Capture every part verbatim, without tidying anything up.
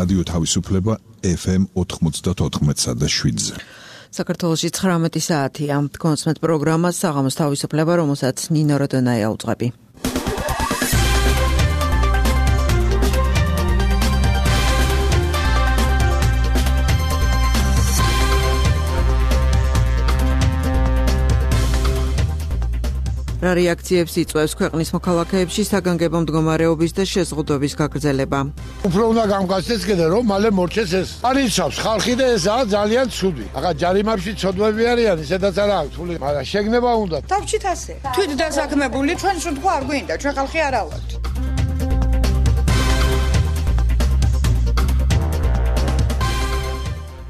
რადიო თავისუფლება ეფ ემ ოთხმოცდაოთხ და შვიდზე. საქართველოში ცხრამეტი საათია. კონსმეთ პროგრამას საღამოს თავისუფლება, რომელსაც ნინო როდონაია უძღვები. რა რეაქციებს იწვევს ქვეყნის მოქალაქეებში საგანგებო მდგომარეობის და შეზღუდვების გაგრძელება? უფრო უნდა გამგაცდეს კიდე რომ მალე მორჩეს ეს. არიცავს ხალხი და ესაა ძალიან ცუდი. ახლა ჯარიმებში ცოდვები არიან, ისედაც არა აქვს ფული, მაგრამ შეგნება უნდა. თავშით ასე. თვით დასაქმებული ჩვენ შეთქვა არ გვინდა, ჩვენ ხალხი არა ვართ.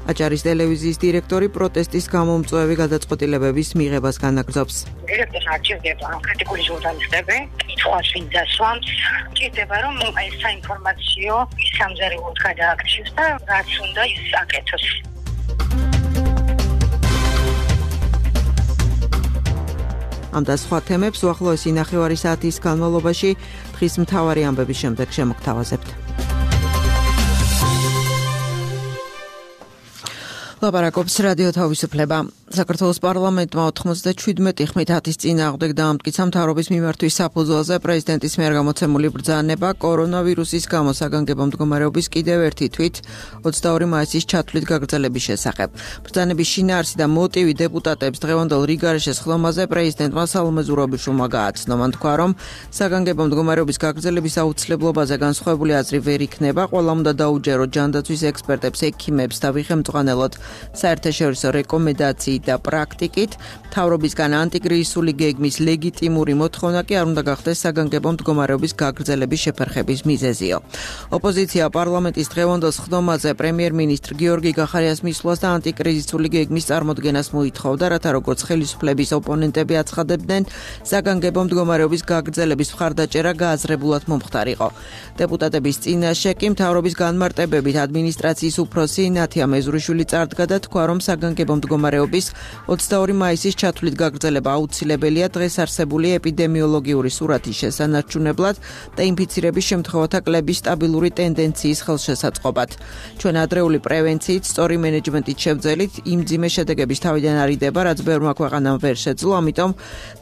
აჭარის ტელევიზიის დირექტორი პროტესტის გამომწვევი გადაწყვეტილებების მიღებას განაგრძობს. დირექტორს არჩევდება კრიტიკული ჟურნალისტები, კითხვას ვინ დასვამს, ჭირდება რომ ეს საინფორმაციო სამზარეულოდ გადააქციოს და რაც უნდა ის აკეთოს. ამ და სხვა თემებს უახლოესი ნახევარი საათის განმავლობაში დღის მთავარი ამბების შემდეგ შემოგთავაზებთ. ლაპარაკობს რადიო თავისუფლება. საქართველოს პარლამენტმა ოთხმოცდაშვიდმეტი ხმით ათის წინააღმდეგ დაამტკიცა მთავრობის მიმართვის საფუძველზე პრეზიდენტის მიერ გამოცემული ბრძანება კორონავირუსის გამო საგანგებო მდგომარეობის კიდევ ერთი თვით ოცდაორი მაისის ჩათვლით გაგრძელების შესახებ. ბრძანების შინაარსი და მოტივი დეპუტატებს დღევანდელ რიგარეშეს ხდომაზე პრეზიდენტმა სალომე ზურაბიშვილმა გააცნო. მან თქვა, რომ საგანგებო მდგომარეობის გაგრძელების აუცილებლობაზე განსხვავებული აზრი ვერ იქნება. ყველამ უნდა დაუჯეროთ ჯანდაცვის ექსპერტებს, ექიმებს და ვიხემწყვალოთ საერთაშორისო რეკომენდაციით და პრაქტიკით. მთავრობისგან ანტიკრიზისული გეგმის ლეგიტიმური მოთხოვნა კი არ უნდა გახდეს საგანგებო მდგომარეობის გაგრძელების შეფერხების მიზეზიო. ოპოზიცია პარლამენტის დღევანდელ ხდომაზე პრემიერ-მინისტრ გიორგი გახარიას მისვლას და ანტიკრიზისული გეგმის წარმოდგენას მოითხოვდა, რათა როგორც ხელისუფლების ოპონენტები აცხადებდნენ, საგანგებო მდგომარეობის გაგრძელების მხარდაჭერა გააზრებულად მომხდარიყო. დეპუტატების წინაშე კი მთავრობის განმარტებებით ადმინისტრაციის უფროსი ნათია მეზურიშვილი წარდგა და თქვა, რომ საგანგებო მდგომარეობის ოცდაორი მაისის ჩათვლით გაგრძელება აუცილებელია დღეს არსებული ეპიდემიოლოგიური სურათის შესანარჩუნებლად და ინფიცირების შემთხვევათა კლების სტაბილური ტენდენციის ხელშესაწყობად. ჩვენ ადრეული პრევენციით, სწორი მენეჯმენტით შევძელით იმ მძიმე შედეგების თავიდან არიდება, რაც ბევრმა ქვეყანამ ვერ შეძლო, ამიტომ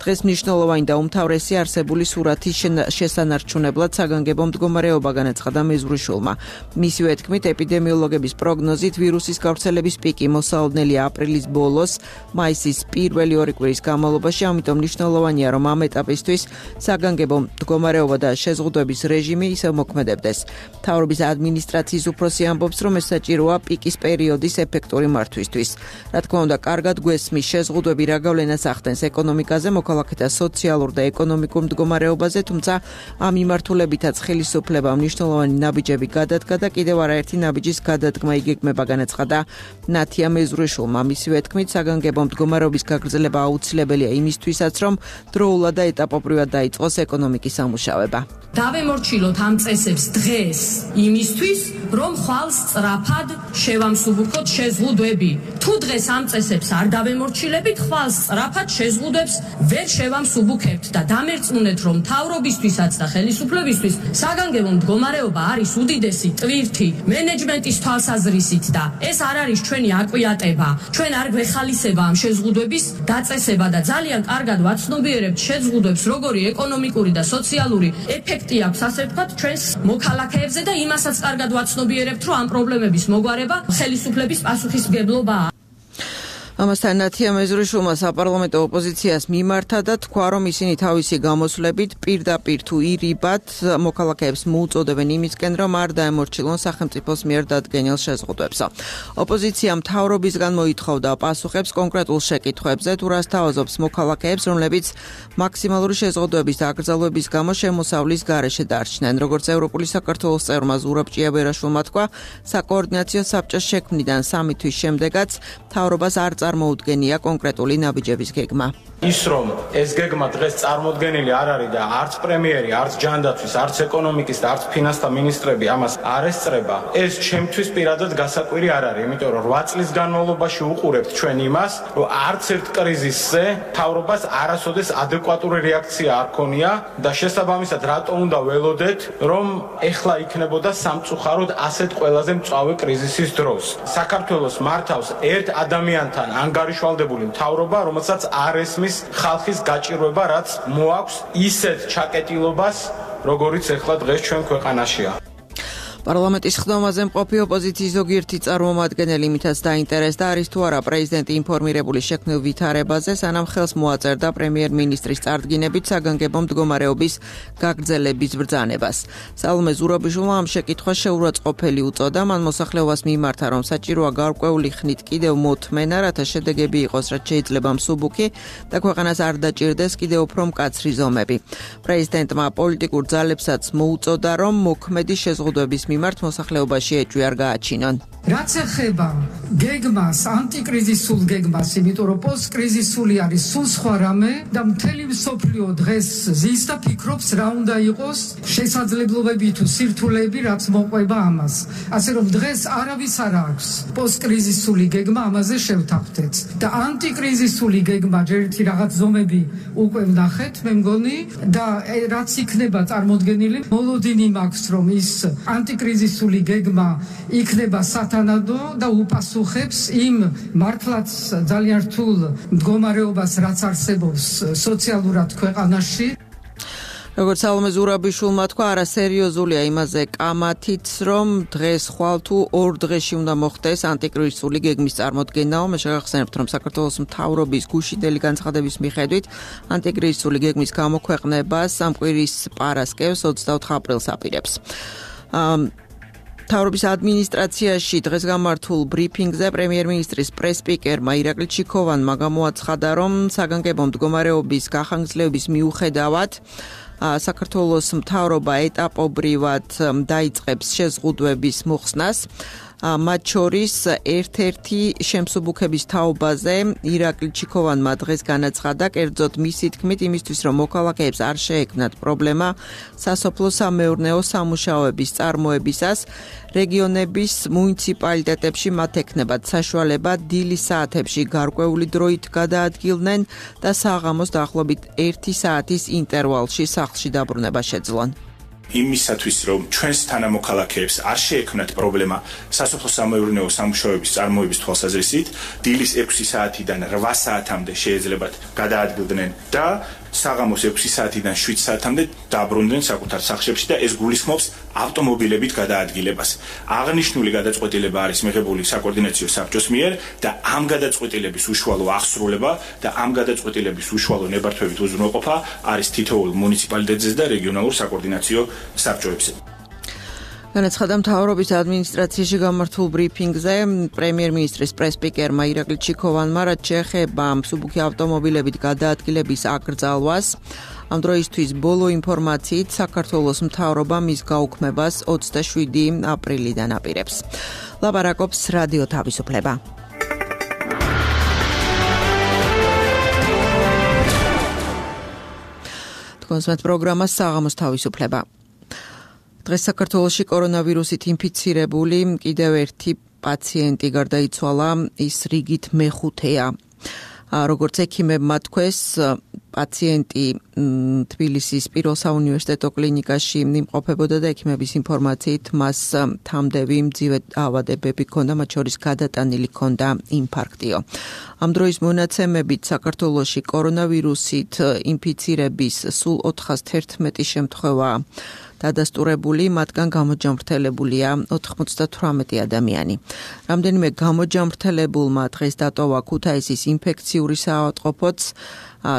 დღეს მნიშვნელოვანი და უმთავრესი არსებული სურათის შესანარჩუნებლად საგანგებო მდგომარეობა განაცხადა მეზურიშვილმა. მისივე თქმით, ეპიდემიოლოგების პროგნოზით ვირუსის გავრცელების პიკი მოსალოდნელია აპრილის ბოლოს, მაისის პირველი ორი კვირის განმავლობაში, ამიტომ მნიშვნელოვანია, რომ ამ ეტაპისთვის საგანგებო მდგომარეობა და შეზღუდვების რეჟიმი ისევ მოქმედებდეს. მთავრობის ადმინისტრაციის უფროსი ამბობს, რომ ეს საჭიროა პიკის პერიოდის ეფექტური მართვისთვის. რა თქმა უნდა, კარგად გვესმის შეზღუდვები რა გავლენას ახდენს ეკონომიკაზე, მოქალაქეთა სოციალურ და ეკონომიკურ მდგომარეობაზე, თუმცა ამ მიმართულებითაც ხელისუფლებამ მნიშვნელოვანი ნაბიჯები გადადგა და კიდევ არაერთი ნაბიჯის გადადგმა იგეგმება, განაცხადა ნათია მეზურიშვილმა. მისივე თქმით, საგანგებო მდგომარეობის გაგრძელება აუცილებელია იმისთვისაც, რომ დროულად და ეტაპობრივად დაიწყოს ეკონომიკის სამუშაოება. დავემორჩილოთ ამ წესებს დღეს იმისთვის, რომ ხვალ სწრაფად შევამსუბუქოთ შეზღუდვები. თუ დღეს ამ წესებს არ დავემორჩილებით, ხვალ სწრაფად შეზღუდვებს ვერ შევამსუბუქებთ და დამერწმუნეთ, რომ მთავრობისთვისაც და ხელისუფლებისთვის საგანგებო მდგომარეობა არის უდიდესი ტვირთი მენეჯმენტის თვალსაზრისით და ეს არ არის ჩვენი აკვიატება. ჩვენ არ გვეხალისება ამ შეზღუდვების დაწესება და ძალიან კარგად ვაცნობიერებთ შეზღუდვებს, როგორი ეკონომიკური და სოციალური ეფექტი აქვს, ასე ვთქვათ, ჩვენს მოქალაქეებზე და იმასაც კარგად ვაცნობიერებთ, რომ ამ პრობლემების მოგვარება ხელისუფლების პასუხისმგებლობაა. ამასთან ნათია მეზურიშვილმა საპარლამენტო ოპოზიციას მიმართა და თქვა, რომ ისინი თავისი გამოსვლებით პირდაპირ თუ ირიბად მოქალაქეებს მოუწოდებენ იმისკენ, რომ არ დაემორჩილონ სახელმწიფოს მიერ დადგენილ შეზღუდვებსო. ოპოზიცია მთავრობისგან მოითხოვდა პასუხებს კონკრეტულ შეკითხვებზე, თუ რას თავაზობს მოქალაქეებს, რომლებიც მაქსიმალური შეზღუდვების და აკრძალვების გამო შემოსავლის გარეშე დარჩნენ. როგორც ევროპული საქართველოს წევრმა ზურაბ ჭიაბერაშვილმა თქვა, საკოორდინაციო საბჭოს შექმნიდან სამი თვის შემდეგაც მთავრობას არ წარმოუდგენია კონკრეტული ნაბიჯების გეგმა. ის რომ ეს გეგმა დღეს წარმოდგენილი არ არის და არც პრემიერი, არც ჯანდაცვის, არც ეკონომიკის და არც ფინანსთა მინისტრები ამას არ ესწრება, ეს ჩემთვის პირადად გასაკვირი არ არის, იმიტომ რომ რვა წლის განმავლობაში უყურებთ ჩვენ იმას, რომ არც ერთ კრიზისზე მთავრობას არასოდეს ადეკვატური რეაქცია არ ქონია და შესაბამისად რატო უნდა ველოდეთ, რომ ეხლა იქნებოდა სამწუხაროდ ასეთ ყველაზე მწვავე კრიზისის დროს. საქართველოს მართავს ერთ ადამიანთან ანგარიშვალდებული მთავრობა, რომელსაც არ ესმის ხალხის გაჭირვება, რაც მოაქვს ისეთ ჩაკეტილობას, როგორიც ეხლა დღეს ჩვენ ქვეყანაშია. პარლამენტის ხდომაზე მყოფი ოპოზიციის ზოგიერთი წარმომადგენელი იმითაც დაინტერესდა არის თუ არა პრეზიდენტი ინფორმირებული შექმნილ ვითარებაზე, სანამ ხელს მოაწერდა პრემიერ-მინისტრის წარდგინებით საგანგებო მდგომარეობის გაგრძელების ბრძანებას. სალომე ზურაბიშვილმა ამ შეკითხვას შეურაცხყოფელი უწოდა, მან მოსახლეობას მიმართა, რომ საჭიროა გარკვეული ხნით კიდევ მოთმენა, რათა შედეგები იყოს, რაც შეიძლება მსუბუქი და ქვეყანას არ დაჭირდეს კიდევ უფრო მკაცრი ზომები. პრეზიდენტმა პოლიტიკურ ძალებსაც მოუწოდა, რომ მოქმედი შეზღუდვების მიმართ მოსახლეობაში ეჭვი არ გააჩინონ. რაც ეხება გეგმას, ანტიკრიზისულ გეგმას, იმიტომ რომ პოსტკრიზისული არის სულ სხვა რამე და მთელი მსოფლიო დღეს ზის და ფიქრობს რა უნდა იყოს შესაძლებლობები თუ სირთულეები, რაც მოყვება ამას. ასე რომ დღეს არავის არ აქვს პოსტკრიზისული გეგმა, ამაზე შევთანხმდეთ. და ანტიკრიზისული გეგმა ჯერითი რაღაც ზომები უკვე ვნახეთ, მე მგონი და რაც იქნება წარმოდგენილი, მოლოდინი მაქვს რომ ის ანტიკრიზისული გეგმა იქნება სათანადო და უპასუხებს იმ მართლაც ძალიან რთულ მდგომარეობას, რაც არსებობს სოციალურად ქვეყანაში. როგორც სალომე ზურაბიშვილმა თქვა, არასერიოზულია იმაზე კამათიც, რომ დღეს ხვალ თუ ორ დღეში უნდა მოხდეს ანტიკრიზისული გეგმის წარმოდგენაო. მე შეგახსენებთ, რომ საქართველოს მთავრობის გუშინდელი განცხადების მიხედვით ანტიკრიზისული გეგმის გამოქვეყნებას ამ კვირის პარასკევს ოცდაოთხ აპრილს აპირებს. მთავრობის ადმინისტრაციაში დღეს გამართულ ბრიფინგზე პრემიერ-მინისტრის პრეს-სპიკერმა ირაკლი ჩიქოვანმა გამოაცხადა, რომ საგანგებო მდგომარეობის გახანგრძლივების მიუხედავად საქართველოს მთავრობა ეტაპობრივად დაიწყებს შეზღუდვების მოხსნას. მათ შორის ერთ-ერთი შემსუბუქების თაობაზე ირაკლი ჩიქოვანმა დღეს განაცხადა, კერძოდ მისი თქმით, იმისთვის რომ მოქალაქეებს არ შეექმნათ პრობლემა სასოფლო-სამეურნეო სამუშაოების წარმოებისას, რეგიონების მუნიციპალიტეტებში მათ ექნებათ საშუალება დილის საათებში გარკვეული დროით გადაადგილდნენ და საღამოს დაახლოებით ერთი საათის ინტერვალში სახლში დაბრუნება შეძლონ. იმისათვის რომ ჩვენს თანამოქალაქეებს არ შეექმნათ პრობლემა სასოფლო-სამეურნეო სამუშაოების წარმოების თვალსაზრისით, დილის ექვსი საათიდან რვა საათამდე შეეძლებათ გადაადგილდნენ და საღამოს ექვსი საათიდან შვიდ საათამდე დაბრუნდნენ საკუთარ სახლებში და ეს გულისხმობს ავტომობილებით გადაადგილებას. აღნიშნული გადაწყვეტილება არის მიღებული საკოორდინაციო საბჭოს მიერ და ამ გადაწყვეტილების უშუალო აღსრულება და ამ გადაწყვეტილების უშუალო ნებართვებით უზრუნველყოფა არის თითოეულ მუნიციპალიტეტზე და რეგიონალურ საკოორდინაციო საბჭოებზე. განაცხადა მთავრობის ადმინისტრაციაში გამართულ ბრიფინგზე პრემიერ-მინისტრის პრეს-სპიკერმა ირაკლი ჩიქოვანმა, რაც შეეხება მსუბუქი ავტომობილებით გადაადგილების აკრძალვას. ამ დროისთვის ბოლო ინფორმაციით საქართველოს მთავრობა მის გაუქმებას ოცდაშვიდი აპრილიდან აპირებს. ლაპარაკობს რადიო თავისუფლება. თქვენს პროგრამას საღამოს თავისუფლება. დღეს საქართველოში კორონავირუსით ინფიცირებული კიდევ ერთი პაციენტი გარდაიცვალა, ის რიგით მეხუთეა. როგორც ექიმებმა თქვეს, პაციენტი თბილისის პირველ საუნივერსიტეტო კლინიკაში იმყოფებოდა და ექიმების ინფორმაციით მას თამდევი მძიმე დაავადებები ჰქონდა, მათ შორის გადატანილი ჰქონდა ინფარქტიო. ამ დროის მონაცემებით საქართველოში კორონავირუსით ინფიცირების სულ ოთხას თერთმეტი შემთხვევა დადასტურებული, მათგან გამოჯამრთელებულია ოთხმოცდათვრამეტი ადამიანი. რამდენიმე გამოჯამრთელებულმა დღეს დატოვა ქუთაისის ინფექციური საავადმყოფოც.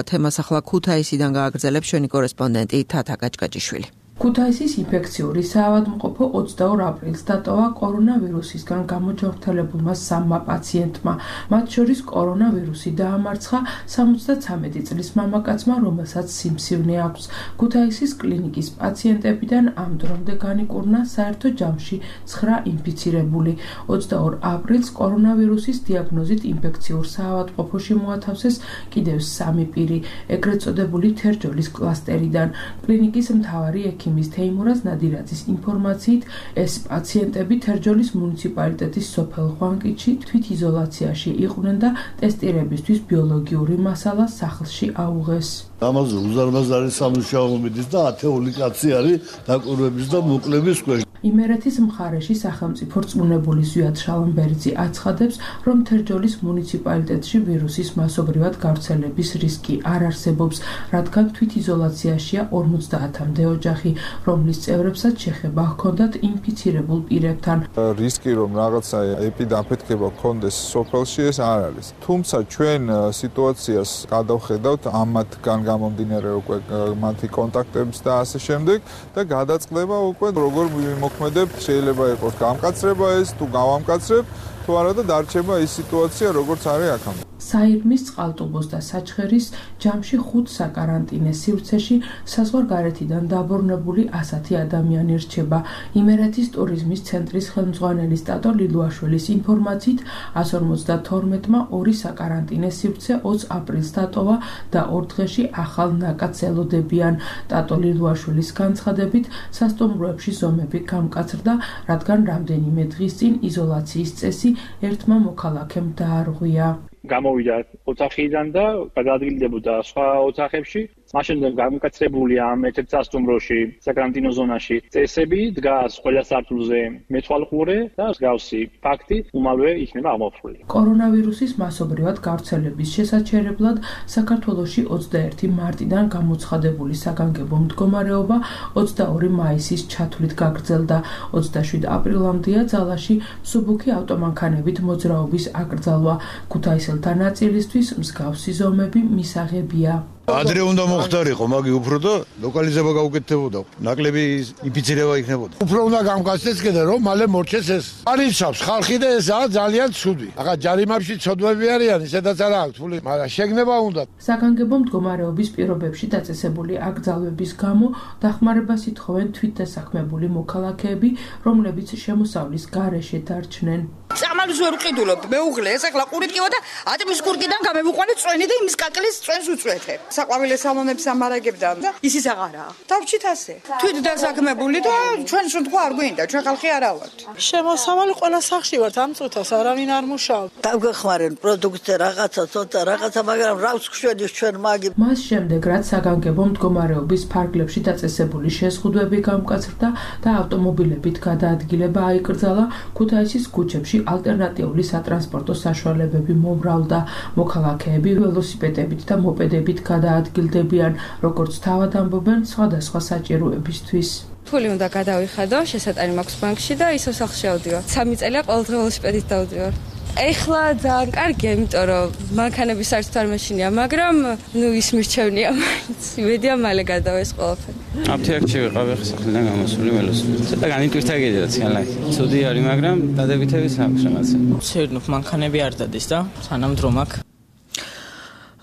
თემას ახლა ქუთაისიდან გააგრძელებს ჩვენი კორესპონდენტი თათა გაჭგაჭიშვილი. ქუთაისის ინფექციური საავადმყოფო ოცდაორ აპრილს დატოვა კორონავირუსისგან გამოჯანმრთელებულმა სამმა პაციენტმა. მათ შორის კორონავირუსი დაამარცხა სამოცდაცამეტი წლის მამაკაცმა, რომელსაც სიმსივნე აქვს. ქუთაისის კლინიკის პაციენტებიდან ამ დრომდე განიკურნა საერთო ჯამში ცხრა ინფიცირებული. ოცდაორ აპრილს კორონავირუსის დიაგნოზით ინფექციურ საავადმყოფოში მოათავსეს კიდევ სამი პირი, ეგრეთ წოდებული თერჯოლის კლასტერიდან. კლინიკის მთავარი ექიმის თეიმურაზ ნადირაძის ინფორმაციით, ეს პაციენტები თერჯოლის მუნიციპალიტეტის სოფელ ხვანკითში თვითიზოლაციაში იყვნენ და ტესტირებისთვის ბიოლოგიური მასალა სახლში აუღეს. ამაზე უზარმაზარი სამუშაო მიდის და ათეული კაცი არის დაკვირვების და მოკლების ქვეშ. იმერეთის მხარეში სახელმწიფო რწმუნებული ზვიად შალამბერძი აცხადებს, რომ თერჯოლის მუნიციპალიტეტში ვირუსის მასობრივად გავრცელების რისკი არ არსებობს, რადგან თვითიზოლაციაშია ორმოცდაათამდე ოჯახი, რომლის წევრებსაც შეხება ჰქონდათ ინფიცირებულ პირებთან. რისკი რომ რაღაცა ეპიდაფეთქება ჰქონდეს სოფელში ეს არ არის. თუმცა ჩვენ სიტუაციას გადავხედავთ ამათგან გამომდინარე უკვე მათი კონტაქტების და ასე შემდეგ და გადაწყდება უკვე როგორ მოქმედებთ, შეიძლება იყოს გამკაცრება ეს თუ გავამკაცრებ თუ არა და დარჩება ის სიტუაცია როგორც არის აქამდე. საირმის, წყალტუბოს და საჩხერის ჯამში ხუთ საკარანტინე სივრცეში საზღვარგარეთიდან დაბრუნებული ასათი ადამიანი რჩება. იმერეთის ტურიზმის ცენტრის ხელმძღვანელი სტატო ლილუაშვილის ინფორმაციით, ას ორმოცდათორმეტმა ორი საკარანტინე სივრცე ოცდაოთხ აპრილს დატოვა და ორ დღეში ახალ ნაკადს ელოდებიან. სტატო ლილუაშვილის განცხადებით, სასტუმროებში ზომები გამკაცრდა, რადგან რამდენიმე დღის წინ იზოლაციის წესი ერთმა მოქალაქემ დაარღვია. გამოვიდა ოთახიდან და გადაადგილდებოდა სხვა ოთახებში. მაშინ გამკაცრებული ამ ერთ-ერთ სასტუმროში, საკარანტინო ზონაში წესები დგას ყველა სართულზე მეთვალყურე და მსგავსი ფაქტი უმალვე იქნება აღმოფხვრილი. კორონავირუსის მასობრივად გავრცელების შესაჩერებლად საქართველოში ოცდაერთი მარტიდან გამოცხადებული საგანგებო მდგომარეობა ოცდაორი მაისის ჩათვლით გაგრძელდა. ოცდაშვიდ აპრილამდეა ძალაში მსუბუქი ავტომანქანებით მოძრაობის აკრძალვა. ქუთაისელთა ნაწილისთვის მსგავსი ზომები მისაღებია. ადრე უნდა მოხდარიყო, მაგი უფრო და ლოკალიზება გაუკეთდებოდა. ნაკლები ინფიცირება იქნებოდა. უფრო უნდა გამკაცდეს კიდე რომ მალე მორჩეს ეს. არიცავს ხალხი და ესაა ძალიან ცუდი. ახლა ჯარიმებში ცოდვები არიან, ისედაც არ აქვს ფული, მაგრამ შეგნება უნდა. საგანგებო მდგომარეობის პირობებში დაწესებული აკრძალვების გამო დახმარებას ითხოვენ თვითდასაქმებული მოქალაქეები, რომლებიც შემოსავლის გარეშე დარჩნენ. წამალს ვერ ვყიდულობ, მეუღლე, ეს ახლა ყურით კივა და ატმის კურკიდან გამევიყვანე წვენი და იმის კაკლის წვენს უწვეთებ. საყვავილე სალონებს ამარაგებდან და ისიც აღარაა. დავჭით ასე. თვით დასაქმებული და ჩვენ შემთხვევა არ გვინდა, ჩვენ ხალხი არა ვართ. შემოსავალი ყველა სახში ვართ, ამ წუთას არავინ არ მუშაობს. დავგეხმარენ პროდუქტზე რაღაცა, ცოტა რაღაცა, მაგრამ რავს გვშვენის ჩვენ მაგი. მას შემდეგ რაც საგანგებო მდგომარეობის ფარგლებში დაწესებული შეზღუდვები გამკაცრდა და ავტომობილებით გადაადგილება აიკრძალა, ქუთაისის ქუჩებში ალტერნატიული სატრანსპორტო საშუალებები მომრავლდა. მოქალაქეები ველოსიპედებით და მოპედებით გადაადგილდებიან, როგორც თავად ამბობენ სხვადასხვა საჭიროებისთვის. ფული უნდა გადავიხადო, შესატანი მაქვს ბანკში და ისო სახლში ავდივარ. სამი წელია ყოველდღე ველოსიპედით დავდივარ. ეხლა ძალიან კარგია, იმიტომ რომ მანქანების საერთოდ არ მეშინია, მაგრამ ნუ ის მირჩევნია მაინც. იმედია მალე გადავეს ყველაფერი. აფთიაქში ვიყავ, ახლა სახლიდან გამოსული ველოსიპედით. ცოტა განიტვირთა კიდეც განლაკი. ცუდი არის, მაგრამ დადებითების აქვს რაღაცა. ცერნობ მანქანები არ დადეს და სანამ დრო მაქვს.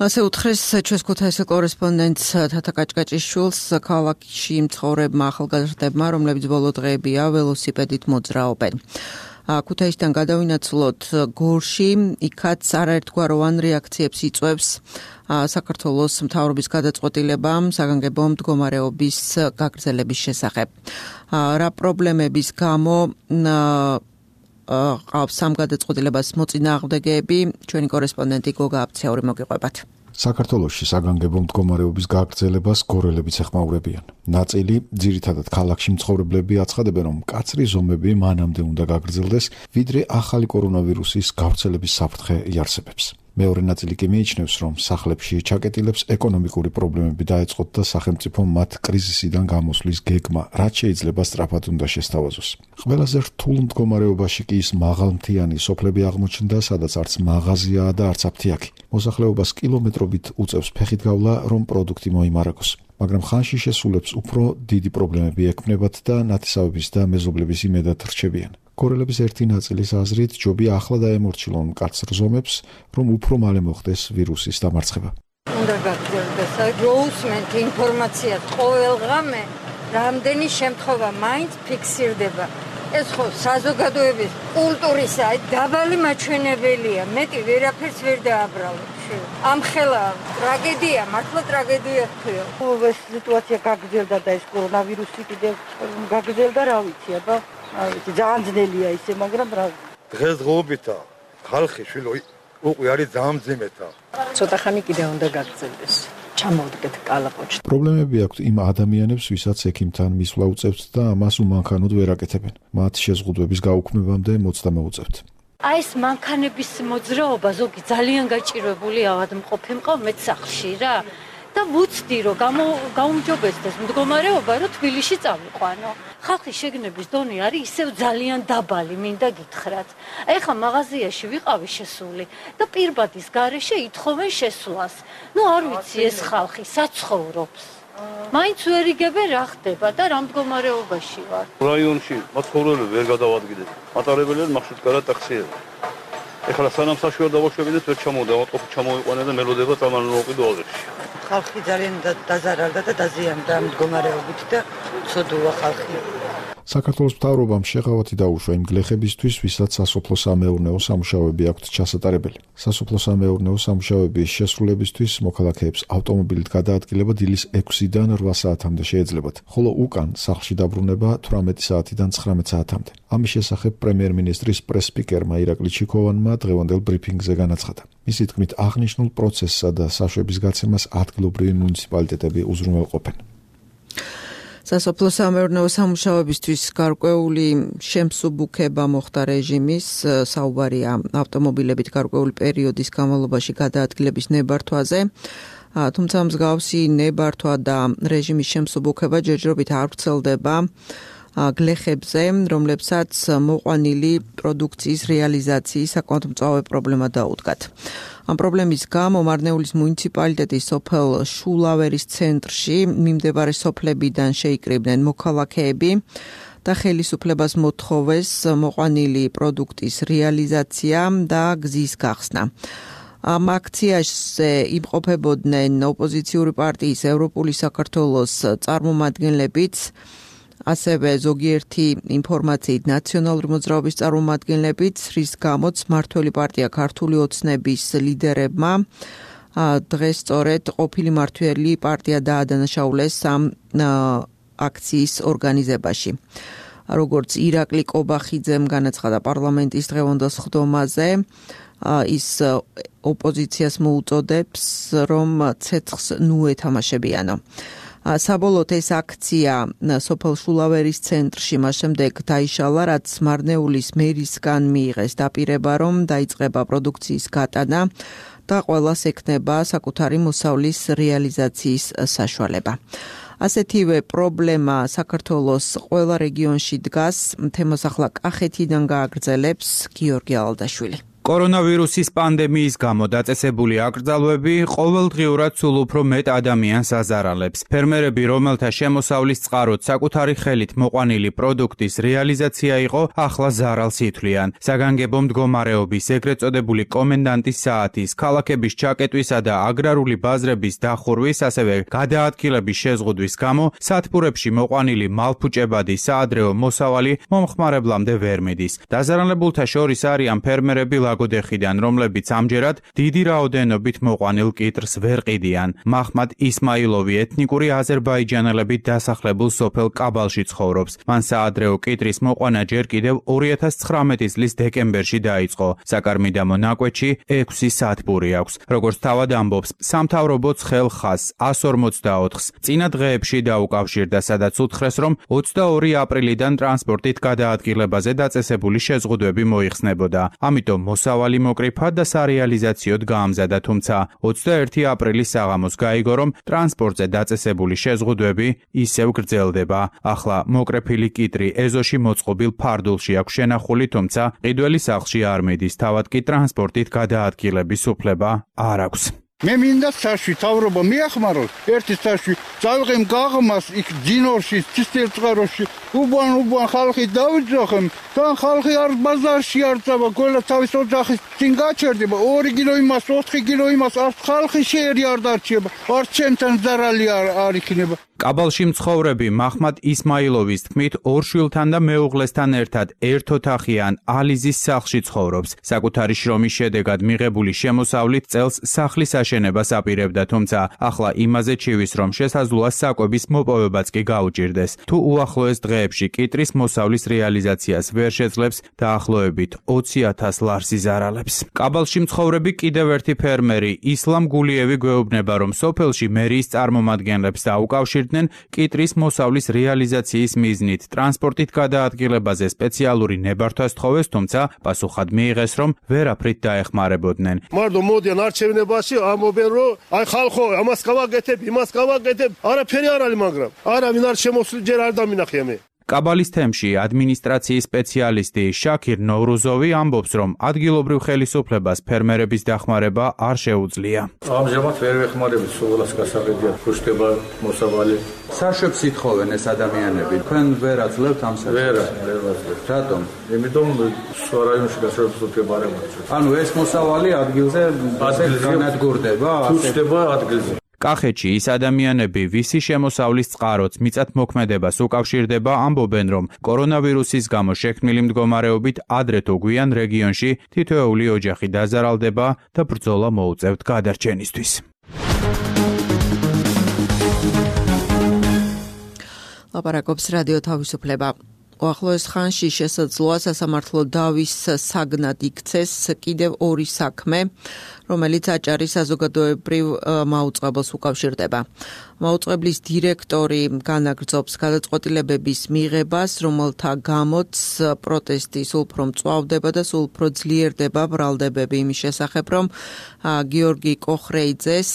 ასე უთხრეს ჩვენს ქუთაისის კორესპონდენტს თათა კაჭკაჭიშვილს ქალაქში მცხოვრებმა ახალგაზრდებმა, რომლებიც ბოლო დღეებია ველოსიპედით მოძრაობენ. ქუთაისიდან გადავინაცვლოთ გორში, იქაც არაერთგვაროვან რეაქციებს იწვევს საქართველოს მთავრობის გადაწყვეტილება საგანგებო მდგომარეობის გაგრძელების შესახებ. რა პრობლემების გამო ყავს ამ გადაწყვეტილებას მოწინააღმდეგეები, ჩვენი კორესპონდენტი გოგა აფციური მოგიყვებათ. საქართველოში საგანგებო მდგომარეობის გაგრძელებას გორელებიც ეხმაურებიან. ნაწილი, ძირითადად ქალაქში მცხოვრებლები აცხადებენ, რომ მკაცრი ზომები მანამდე უნდა გაგრძელდეს, ვიდრე ახალი კორონავირუსის გავრცელების საფრთხე იარსებებს. მეორე ნაწილი კი მიიჩნევს, რომ სახლებში ჩაკეტილებს ეკონომიკური პრობლემები დაეწყოთ და სახელმწიფო მათ კრიზისიდან გამოსვლის გეგმა, რაც შეიძლება სწრაფად უნდა შესთავაზოს. ყველაზე რთულ მდგომარეობაში კი ის მაღალმთიანი სოფლები აღმოჩნდა, სადაც არც მაღაზიაა და არც აფთიაქი. მოსახლეობას კილომეტრობით უწევს ფეხით გავლა, რომ პროდუქტი მოიმარაგოს. მაგრამ ხანში შესულებს უფრო დიდი პრობლემები ექმნებათ და ნათესავების და მეზობლების იმედად რჩებიან. კორელების ერთი ნაწილის აზრით, ჯობია ახლა დაემორჩილონ მკაცრ ზომებს, რომ უფრო მალე მოხდეს ვირუსის დამარცხება. უნდა გაგრძელდეს როუსმენტ ინფორმაცია ყოველდღე რამდენი შემთხვევა მაინც ფიქსირდება. ეს ხო საზოგადოების კულტურისა დაბალი მაჩვენებელია. მეტი ვერაფერს ვერ დააბრალებ. ამ ხელა ტრაგედია, მართლა ტრაგედია ხდება. ეს სიტუაცია გაგრძელდა და ეს კორონავირუსი კიდევ გაგრძელდა, რა ვიცი, აბა, რა ვიცი, ძალიან ძნელია ისე, მაგრამ რა. დღესდღეობითა ხალხი შვილო უკვე არის ძალიან მძიმეთა. ცოტა ხანი კიდე უნდა გაგრძელდეს. ჩამოვდგეთ კალაპოჩში. პრობლემები აქვთ იმ ადამიანებს, ვისაც ექიმთან მისვლა უწევთ და ამას უმანქანოდ ვერ აკეთებენ. მათ შეზღუდვების გაუქმებამდე მოცდა მოუწევთ. აი ეს მანქანების მოძრაობა ზოგი ძალიან გაჭირვებული ავადმყოფი მყავ მეც სახლში რა და ვუცდი რომ გაუმჯობესდეს მდგომარეობა რომ თბილისში წავიყვანო. ხალხის შეგნების დონე არის ისევ ძალიან დაბალი, მინდა გითხრათ. ეხლა მაღაზიაში ვიყავი შესული და პირბადის გარეშე ითხოვენ შესვლას. ნუ არ ვიცი ეს ხალხი საცხოვრობს. მაინც ვერ იგებენ რა ხდება და რა მდგომარეობაში ვარ. რაიონში მაცხოვრებელი ვერ გადავადგინეთ. მატარებელი მარშრუტკარა ტაქსია. ეხლა სანამ საშუალო დავაშვებინეთ ვერ ჩამოვიდა, ავტობუსი ჩამოვიყვანა და მელოდება წამალმოყიდო ალღებში. ხალხი ძალიან დაზარალდა და დაზიანდა მდგომარეობით და ცოდუა ხალხი. საქართველოს მთავრობამ შეღავათი დაუშვა იმ გლეხებისთვის, ვისაც სასოფლო-სამეურნეო სამუშაოები აქვთ ჩასატარებელი. სასოფლო-სამეურნეო სამუშაოების შესრულებისთვის მოქალაქეებს ავტომობილით გადაადგილება დილის ექვსიდან რვა საათამდე შეეძლებათ, ხოლო უკან სახლში დაბრუნება თვრამეტი საათიდან ცხრამეტ საათამდე. ამის შესახებ პრემიერ-მინისტრის პრეს-სპიკერმა ირაკლი ჩიქოვანმა დღევანდელ ბრიფინგზე განაცხადა. მისი თქმით, აღნიშნულ პროცესსა და საშვების გაცემას ადგილობრივი მუნიციპალიტეტები უზრუნველყოფენ. სასოფლო-სამეურნეო სამუშაოებისთვის გარკვეული შემსუბუქება მოხდა რეჟიმის, საუბარია ავტომობილებით გარკვეული პერიოდის განმავლობაში გადაადგილების ნებართვაზე. თუმცა მსგავსი ნებართვა და რეჟიმის შემსუბუქება ჯერჯერობით არ ვრცელდება გლეხებზე, რომლებსაც მოყვანილი პროდუქციის რეალიზაციის საკმაოდ მწვავე პრობლემა დაუდგათ. ამ პრობლემის გამო მარნეულის მუნიციპალიტეტის სოფელ შულავერის ცენტრში მიმდებარე სოფლებიდან შეიკრიბნენ მოქალაქეები და ხელისუფლებას მოთხოვეს მოყვანილი პროდუქტის რეალიზაცია და გზის გახსნა. ამ აქციაში იმყოფებოდნენ ოპოზიციური პარტიის ევროპული საქართველოს წარმომადგენლებიც, ასევე ზოგიერთი ინფორმაციით ნაციონალური მოძრაობის წარმომადგენლებიც, რის გამოც მმართველი პარტია ქართული ოცნების ლიდერებმა დღეს სწორედ ყოფილი მმართველი პარტია დაადანაშაულეს ამ აქციის ორგანიზებაში. როგორც ირაკლი კობახიძემ განაცხადა პარლამენტის დღევანდელ სხდომაზე, ის ოპოზიციას მოუწოდებს, რომ ცეცხლს ნუ ეთამაშებიანო. საბოლოოდ ეს აქცია სოფელ შულავერის ცენტრში მას შემდეგ დაიშალა, რაც მარნეულის მერისგან მიიღეს დაპირება, რომ დაიწყება პროდუქციის გატანა და ყველას ექნება საკუთარი მოსავლის რეალიზაციის საშუალება. ასეთივე პრობლემა საქართველოს ყველა რეგიონში დგას. თემას ახლა კახეთიდან გააგრძელებს გიორგი ალდაშვილი. კორონავირუსის პანდემიის გამო დაწესებული აკრძალვები ყოველდღიურად სულ უფრო მეტ ადამიანს აზარალებს. ფერმერები, რომელთა შემოსავლის წყაროდ საკუთარი ხელით მოყვანილი პროდუქტის რეალიზაცია იყო, ახლა ზარალს ითვლიან. საგანგებო მდგომარეობის ეგრეთ წოდებული კომენდანტის საათის, ქალაქების ჩაკეტვისა და აგრარული ბაზრების დახურვის, ასევე გადაადგილების შეზღუდვის გამო სათბურებში მოყვანილი მალფუჭებადი საადრეო მოსავალი მომხმარებლამდე ვერ მიდის. დაზარალებულთა შორის არიან ფერმერები ლაგოდეხიდან, რომლებიც ამჯერად დიდი რაოდენობით მოყვანილ კიტრს ვერ ყიდიან. მაჰმად ისმაილოვი ეთნიკური აზერბაიჯანელებით დასახლებულ სოფელ კაბალში ცხოვრობს. მან საადრეო კიტრის მოყვანა ჯერ კიდევ ორი ათას ცხრამეტი წლის დეკემბერში დაიწყო. საკარმიდამო ნაკვეთში ექვსი სათბური აქვს. როგორც თავად ამბობს, სამთავრობოც ხელხას εκას ორმოცდაოთხს წინა დღეებში დაუკავშირდა, სადაც უთხრეს, რომ ოცდაორი აპრილიდან ტრანსპორტით გადაადგილებაზე დაწესებული შეზღუდვები მოიხსნებოდა. ამიტომ მოსავალი მოკრიფა და სარეალიზაციოდ გაამზადა, თუმცა ოცდაერთი აპრილის საღამოს გაიგო, რომ ტრანსპორტზე დაწესებული შეზღუდვები ისევ გრძელდება. ახლა მოკრეფილი კიტრი ეზოში მოწყობილ ფარდულში აქვს შენახული, თუმცა ყიდველი სახლში არ მიდის, თავად კი ტრანსპორტით გადაადგილების უფლება არ აქვს. მე მინდა საში თავრობა მიახმაროს ერთი საში წავიღემ გაღმას იქ ჯინორში ცისტერწყაროში უბან უბან ხალხი დავიძახემ თან ხალხი არ ბაზარში არ წავა ყველა თავის ოჯახის წინ გაჩერდება ორი კილო იმას ოთხი კილო იმას არ ხალხი შეერი არ დარჩება არ ჩემთან ზარალი არ არ იქნება კაბალში მცხოვრები მაჰმად ისმაილოვის თქმით ორ შვილთან და მეუღლესთან ერთად ერთ ოთახიან ალიზის სახლში ცხოვრობს. საკუთარი შრომის შედეგად მიღებული შემოსავლით წელს სახლის აშენებას აპირებდა, თუმცა ახლა იმაზე ჩივის, რომ შესაძლოა საკვების მოპოვებაც კი გაუჭირდეს. თუ უახლოეს დღეებში კიტრის მოსავლის რეალიზაციას ვერ შეძლებს, დაახლოებით ოცი ათას ლარს იზარალებს. კაბალში მცხოვრები კიდევ ერთი ფერმერი ისლამ გულიევი გვეუბნება, რომ სოფელში მერიის წარმომადგენლებს დაუკავშირდნენ კიტრის მოსავლის რეალიზაციის მიზნით ტრანსპორტით გადაადგილებაზე სპეციალური ნებართვა სთხოვეს, თუმცა პასუხად მიიღეს, რომ ვერაფრით დაეხმარებოდნენ. მარტო მოდიან არჩევნებაში ამობენ, რომ აი ხალხო, ამას გავაკეთებ, იმას გავაკეთებ, არაფერი არ არის, მაგრამ არავინ არ შემოსული ჯერ არ დამინახია მე. კაბალის თემში ადმინისტრაციის სპეციალისტი შაქირ ნოვრუზოვი ამბობს, რომ ადგილობრივ ხელისუფლებას ფერმერების დახმარება არ შეუძლია. ამჟამად ვერ ვეხმარებით სულას გასაღებია ფუშტება მოსავალი. საშვებს ითხოვენ ეს ადამიანები. თქვენ ვერ აძლევთ ამ საქმეს? ვერ, ვერ ვაძლევთ. რატომ? იმიტომ სხვა რაიონში გასაღებს უთქება არ ემარცხა. ანუ ეს მოსავალი ადგილზე განადგურდება? თუ ხდება ადგილზე. კახეთში ის ადამიანები, ვისი შემოსავლის წყაროც მიწათმოქმედებას უკავშირდება, ამბობენ, რომ კორონავირუსის გამო შექმნილი მდგომარეობით ადრე თუ გვიან რეგიონში თითოეული ოჯახი დაზარალდება და ბრძოლა მოუწევთ გადარჩენისთვის. ლაპარაკობს რადიო თავისუფლება. უახლოეს ხანში შესაძლოა სასამართლო დავის საგნად იქცეს კიდევ ორი საქმე, რომელიც აჭარის საზოგადოებრივ მაუწყებელს უკავშირდება. მაუწყებლის დირექტორი განაგრძობს გადაწყვეტილებების მიღებას, რომელთა გამოც პროტესტი სულ უფრო მწვავდება და სულ უფრო ძლიერდება ბრალდებები იმის შესახებ, რომ გიორგი კოხრეიძეს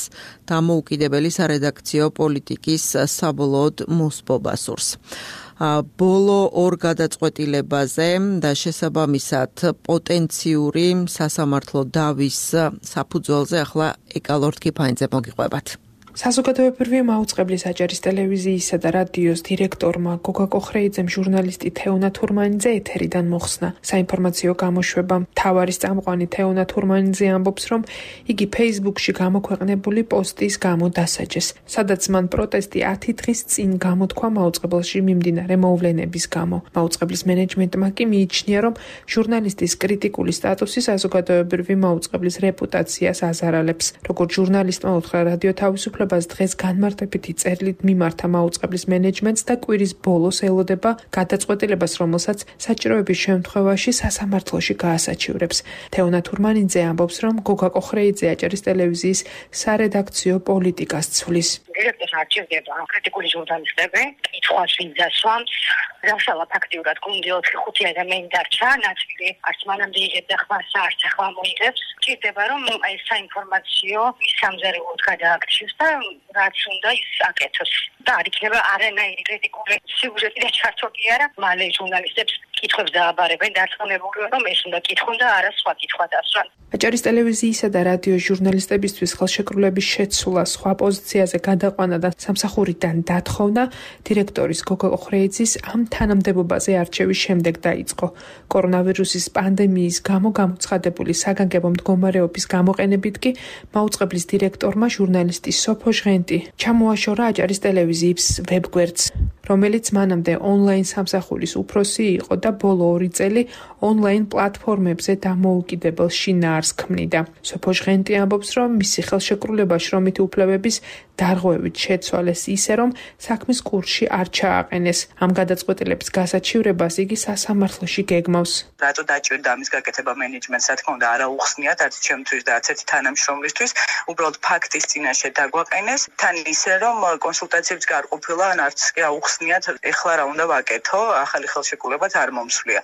დამოუკიდებელი სარედაქციო პოლიტიკის საბოლოოდ მოსპობა სურს. ბოლო ორ გადაწყვეტილებაზე და შესაბამისად პოტენციური სასამართლო დავის საფუძველზე ახლა ეკალორდ კიფაინძე მოგიყვებათ. საზოგადოებრივი მაუწყებლის აჭარის ტელევიზიისა და რადიოს დირექტორმა გოგა კოხრეიძემ ჟურნალისტი თეონა თურმანიძე ეთერიდან მოხსნა. საინფორმაციო გამოშვება მთავარის წამყვანი თეონა თურმანიძე ამბობს, რომ იგი ფეისბუქში გამოქვეყნებული პოსტის გამო დასაჯეს, სადაც მან პროტესტი ათი დღის წინ გამოთქვა მაუწყებელში მიმდინარე მოვლენების გამო. მაუწყებლის მენეჯმენტმა კი მიიჩნია, რომ ჟურნალისტის კრიტიკული სტატუსი საზოგადოებრივი მაუწყებლის რეპუტაციას აზარალებს. როგორც ჟურნალისტმა უთხრა რადიო თავისუფლება დღეს განმარტებითი წერილით მიმართა მაუწყებლის მენეჯმენტს და კვირის ბოლოს ელოდება გადაწყვეტილებას, რომელსაც საჭიროების შემთხვევაში სასამართლოში გაასაჩივრებს. თეონა თურმანიძე ამბობს, რომ გოგა კოხრეიძე აჭარის ტელევიზიის სარედაქციო პოლიტიკას ცვლის. დირექტორს არჩევდება კრიტიკული ჟურნალისტები, კითხვას ვინ დასვამს, რაშალა ფაქტიურად გუნდი ოთხი ხუთი ადამიანი დარჩა, ნაწილი არც მანამდე იღებდა ხმას, არც ახლა მოიღებს. ჭირდება, რომ ეს საინფორმაციო სამზარეულოდ გადააქციოს და რაც უნდა ის აკეთოს. და არ იქნება არანაირი კრიტიკული სიუჟეტი და ჩართო კი არა, მალე ჟურნალისტებს კითხვებს დააბარებენ დარწმუნებული, რომ ეს უნდა კითხონ და არა სხვა კითხვა დასვან. აჭარის ტელევიზიისა და რადიოს ჟურნალისტებისთვის ხელშეკრულების შეცვლა, სხვა პოზიციაზე გადაყვანა და სამსახურიდან დათხოვნა დირექტორის გოგა კოხრეიძის ამ თანამდებობაზე არჩევის შემდეგ დაიწყო. კორონავირუსის პანდემიის გამო გამოცხადებული საგანგებო მდგომარეობის გამოყენებით კი მაუწყებლის დირექტორმა ჟურნალისტი სოფო ჟღენტი ჩამოაშორა აჭარის ტელევიზიის ვებგვერდს, რომელიც მანამდე ონლაინ სამსახურის უფროსი იყო და ბოლო ორი წელი ონლაინ პლატფორმებზე დამოუკიდებელ შინაარსს ქმნიდა. სოფო ჟღენტი ამბობს, რომ მისი ხელშეკრულება შრომითი უფლებების დარღვევით შეცვალეს ისე, რომ საქმის კურსში არ ჩააყენეს. ამ გადაწყვეტილების გასაჩივრებას იგი სასამართლოში გეგმავს. რატო დაჭირდა ამის გაკეთება მენეჯმენტს, რა თქმა უნდა, არა უხსნიათ არც ჩემთვის და არც ერთი თანამშრომლისთვის, უბრალოდ ფაქტის წინაშე დაგვაყენეს, თან ისე, რომ კონსულტაციებიც არ ყოფილა, ან არც კი აუხსნიათ, ეხლა რა უნდა ვაკეთო, ახალი ხელშეკრულებაც არ მომსვლია.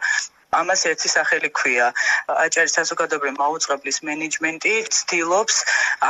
ამას ერთი სახელი ქვია. აჭარის საზოგადოებრივი მაუწყებლის მენეჯმენტი ცდილობს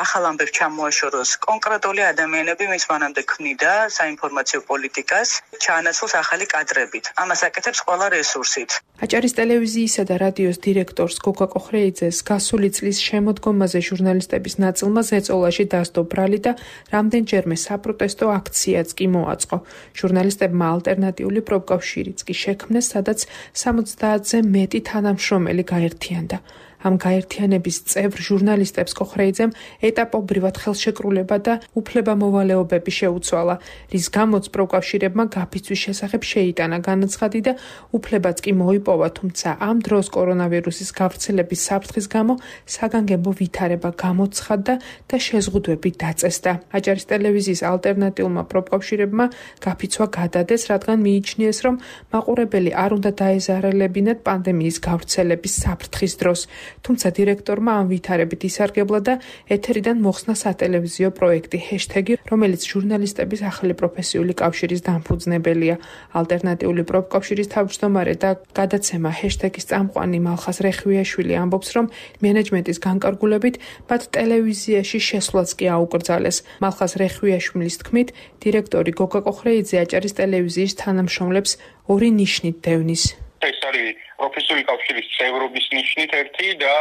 ახალ ამბებს ჩამოაშოროს კონკრეტული ადამიანები, ვინც მანამდე ქმნიდა საინფორმაციო პოლიტიკას, ჩაანაცვლოს ახალი კადრებით. ამას აკეთებს ყველა რესურსით. აჭარის ტელევიზიისა და რადიოს დირექტორს გოგა კოხრეიძეს გასული წლის შემოდგომაზე ჟურნალისტების ნაწილმა ზეწოლაში დასდო ბრალი და რამდენჯერმე საპროტესტო აქციაც კი მოაწყო. ჟურნალისტებმა ალტერნატიული პროფკავშირიც კი შექმნეს, სადაც სამოცდაათზე მეტი თანამშრომელი გაერთიანდა. ამ გაერთიანების წევრ ჟურნალისტებს კოხრეიძემ ეტაპობრივად ხელშეკრულება და უფლებამოვალეობები შეუცვალა, რის გამოც პროფკავშირებმა გაფიცვის შესახებ შეიტანა განაცხადი და უფლებაც კი მოიპოვა, თუმცა ამ დროს კორონავირუსის გავრცელების საფრთხის გამო საგანგებო ვითარება გამოცხადდა და შეზღუდვები დაწესდა. აჭარის ტელევიზიის ალტერნატიულმა პროფკავშირებმა გაფიცვა გადადეს, რადგან მიიჩნიეს, რომ მაყურებელი არ უნდა დაეზარალებინათ პანდემიის გავრცელების საფრთხის დროს. თუმცა დირექტორმა ამ ვითარებით ისარგებლა და ეთერიდან მოხსნა სატელევიზიო პროექტი ჰეშტეგი, რომელიც ჟურნალისტების ახალი პროფესიული კავშირის დამფუძნებელია. ალტერნატიული პროფკავშირის თავმჯდომარე და გადაცემა ჰეშტეგის წამყვანი მალხას რეხვიაშვილი ამბობს, რომ მენეჯმენტის განკარგულებით მათ ტელევიზიაში შესვლაც კი აუკრძალეს. მალხას რეხვიაშვილის თქმით, დირექტორი გოგა კოხრეიძე აჭარის ტელევიზიის თანამშრომლებს ორი ნიშნით დევნის. ეს არის პროფესიული კავშირის წევრობის ნიშნით ერთი და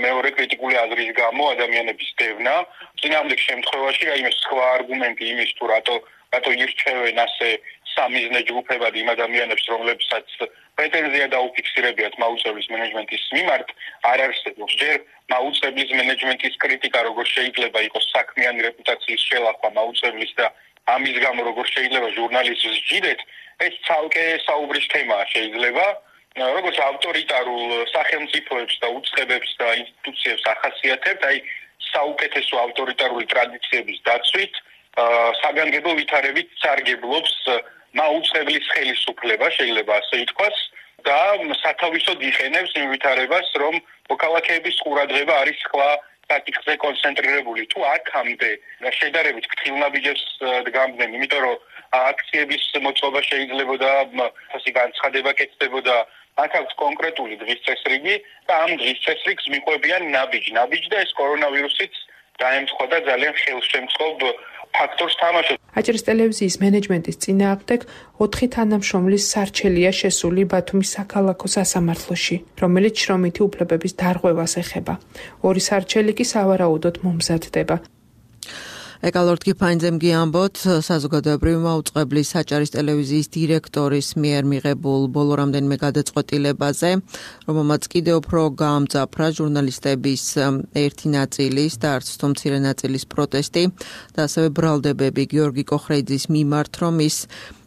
მეორე კრიტიკული აზრის გამო ადამიანების დევნა. წინააღმდეგ შემთხვევაში რაიმე სხვა არგუმენტი იმის თუ რატო რატო ირჩევენ ასე სამიზნე ჯგუფებად იმ ადამიანებს, რომლებსაც პრეტენზია დაუფიქსირებიათ მაუწყებლის მენეჯმენტის მიმართ, არ არსებობს. ჯერ მაუწყებლის მენეჯმენტის კრიტიკა როგორ შეიძლება იყოს საქმიანი რეპუტაციის შელახვა მაუწყებლის და ამის გამო როგორ შეიძლება ჟურნალისტს ჯიდეთ, ეს ცალკე საუბრის თემაა შეიძლება. როგორც ავტორიტარულ სახელმწიფოებს და უწყებებს და ინსტიტუციებს ახასიათებთ, აი საუკეთესო ავტორიტარული ტრადიციების დაცვით, საგანგებო ვითარებით სარგებლობს მაუწყებლის ხელისუფლება, შეიძლება ასე ითქვას, და სათავისოდ იყენებს იმ ვითარებას, რომ მოქალაქეების ყურადღება არის ხლა საკითხზე კონცენტრირებული. თუ აქამდე შედარებით ფრთხილნაბიჯებს დგამდნენ, იმიტომ რომ აქციების მოწყობა შეიძლებოდა, ასე განცხადება კეთდებოდა, აქ აქვს კონკრეტული დღის წესრიგი და ამ დღის წესრიგს მიყვებიან ნაბიჯ, ნაბიჯ და ეს კორონავირუსიც დაემთხვა და ძალიან ხელშემწყობ ფაქტორს თამაშობს. აჭარის ტელევიზიის მენეჯმენტის წინააღმდეგ ოთხი თანამშრომლის სარჩელია შესული ბათუმის საქალაქო სასამართლოში, რომელიც შრომითი უფლებების დარღვევას ეხება. ორი სარჩელი კი სავარაუდოდ მომზადდება. ეკალორდ გიფაინძემ გიამბოთ, საზოგადოებრივი მაუწყებლის აჭარის ტელევიზიის დირექტორის მიერ მიღებულ ბოლო რამდენიმე გადაწყვეტილებაზე, რომელმაც კიდევ უფრო გაამძაფრა ჟურნალისტების ერთი ნაწილის და არც თუ მცირე ნაწილის პროტესტი და ასევე ბრალდებები გიორგი კოხრეიძის მიმართ, რომ ის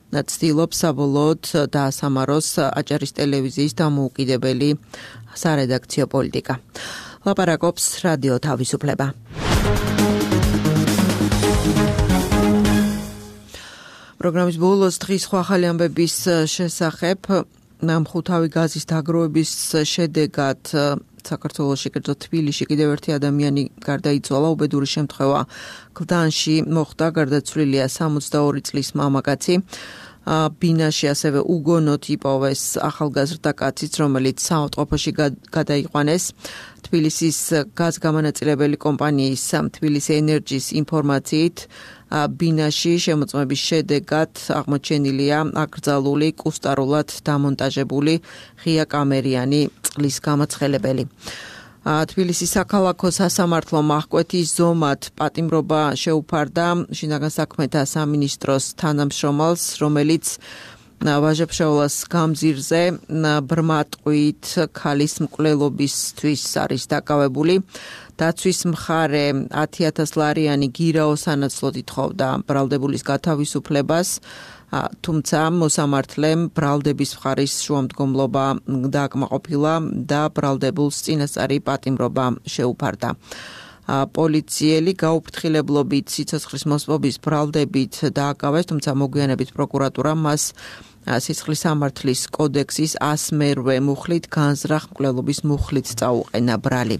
ცდილობს საბოლოოდ დაასამაროს აჭარის ტელევიზიის დამოუკიდებელი სარედაქციო პოლიტიკა. ლაპარაკობს რადიო თავისუფლება. პროგრამის ბოლოს დღის სხვა ახალი ამბების შესახებ მხუთავი გაზის დაგროვების შედეგად საქართველოში, კერძოდ თბილისში კიდევ ერთი ადამიანი გარდაიცვალა. უბედური შემთხვევა გლდანში მოხდა, გარდაცვლილია სამოცდაორი წლის მამაკაცი. ბინაში ასევე უგონოდ იპოვეს ახალგაზრდა კაციც, რომელიც საავადმყოფოში გადაიყვანეს. თბილისის გაზგამანაწილებელი კომპანიის თბილისი ენერჯის ინფორმაციით, ბინაში შემოწმების შედეგად აღმოჩენილია აკრძალული, კუსტარულად დამონტაჟებული ღია კამერიანი წყლის გამაცხელებელი. თბილისის საქალაქო სასამართლომ აღკვეთის ზომად პატიმრობა შეუფარდა შინაგან საქმეთა სამინისტროს თანამშრომელს, რომელიც ვაჟა-ფშაველას გამზირზე ბრმა ტყვით ქალის მკვლელობისთვის არის დაკავებული. დაცვის მხარე ათი ათას ლარიანი გირაო სანაცვლოდ ითხოვდა ბრალდებულის გათავისუფლებას, თუმცა მოსამართლემ ბრალდების მხარის შუამდგომლობა დააკმაყოფილა და ბრალდებულს წინასწარი პატიმრობა შეუფარდა. პოლიციელი გაუფრთხილებლობით სიცოცხლის მოსპობის ბრალდებით დააკავეს, თუმცა მოგვიანებით პროკურატურა მას სიცხლის სამართლის კოდექსის ასმერვე მუხლით განზრახ მკვლელობის მუხლით წაუყენა ბრალი.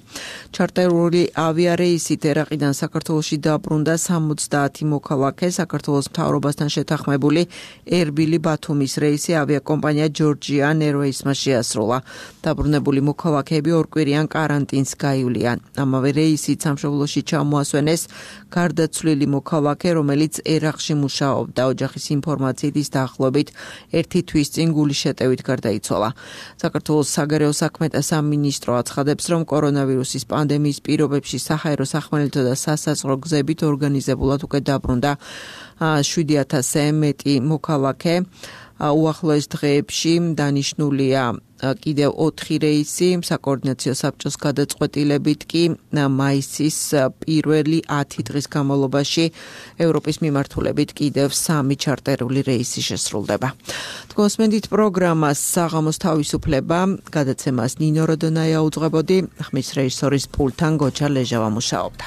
ჩარტერული ავიარეისით ერაყიდან საქართველოში დაბრუნდა სამოცდაათი მოქალაქე. საქართველოს მთავრობასთან შეთანხმებული ერბილი ბათუმის რეისი ავიაკომპანია Georgian Airways-მა შეასრულა. დაბრუნებული მოქალაქეები ორკვირიან კარანტინს გაივლიან. ამავე რეისით სამშობლოში ჩამოასვენეს გარდაცვლილი მოქალაქე, რომელიც ერაყში მუშაობდა. ოჯახის ინფორმაციით ის დაახლოებით ერთი თვის წინ გულის შეტევით გარდაიცვალა. საქართველოს საგარეო საქმეთა სამინისტრო აცხადებს, რომ კორონავირუსის პანდემიის პირობებში საჰაერო სახმელეთო და სასაზღვრო გზებით ორგანიზებულად უკვე დაბრუნდა შვიდი ათასზე მეტი მოქალაქე. უახლოეს დღეებში დანიშნულია კიდევ ოთხი რეისი, საკოორდინაციო საბჭოს გადაწყვეტილებით კი მაისის პირველი ათი დღის განმავლობაში ევროპის მიმართულებით კიდევ სამი ჩარტერული რეისი შესრულდება. თქვენსმენდით პროგრამას საღამოს თავისუფლება, გადაცემას ნინო როდონაია უძღვებოდი, ხმის რეჟისორის პულტთან გოჩა ლეჟავა მუშაობდა.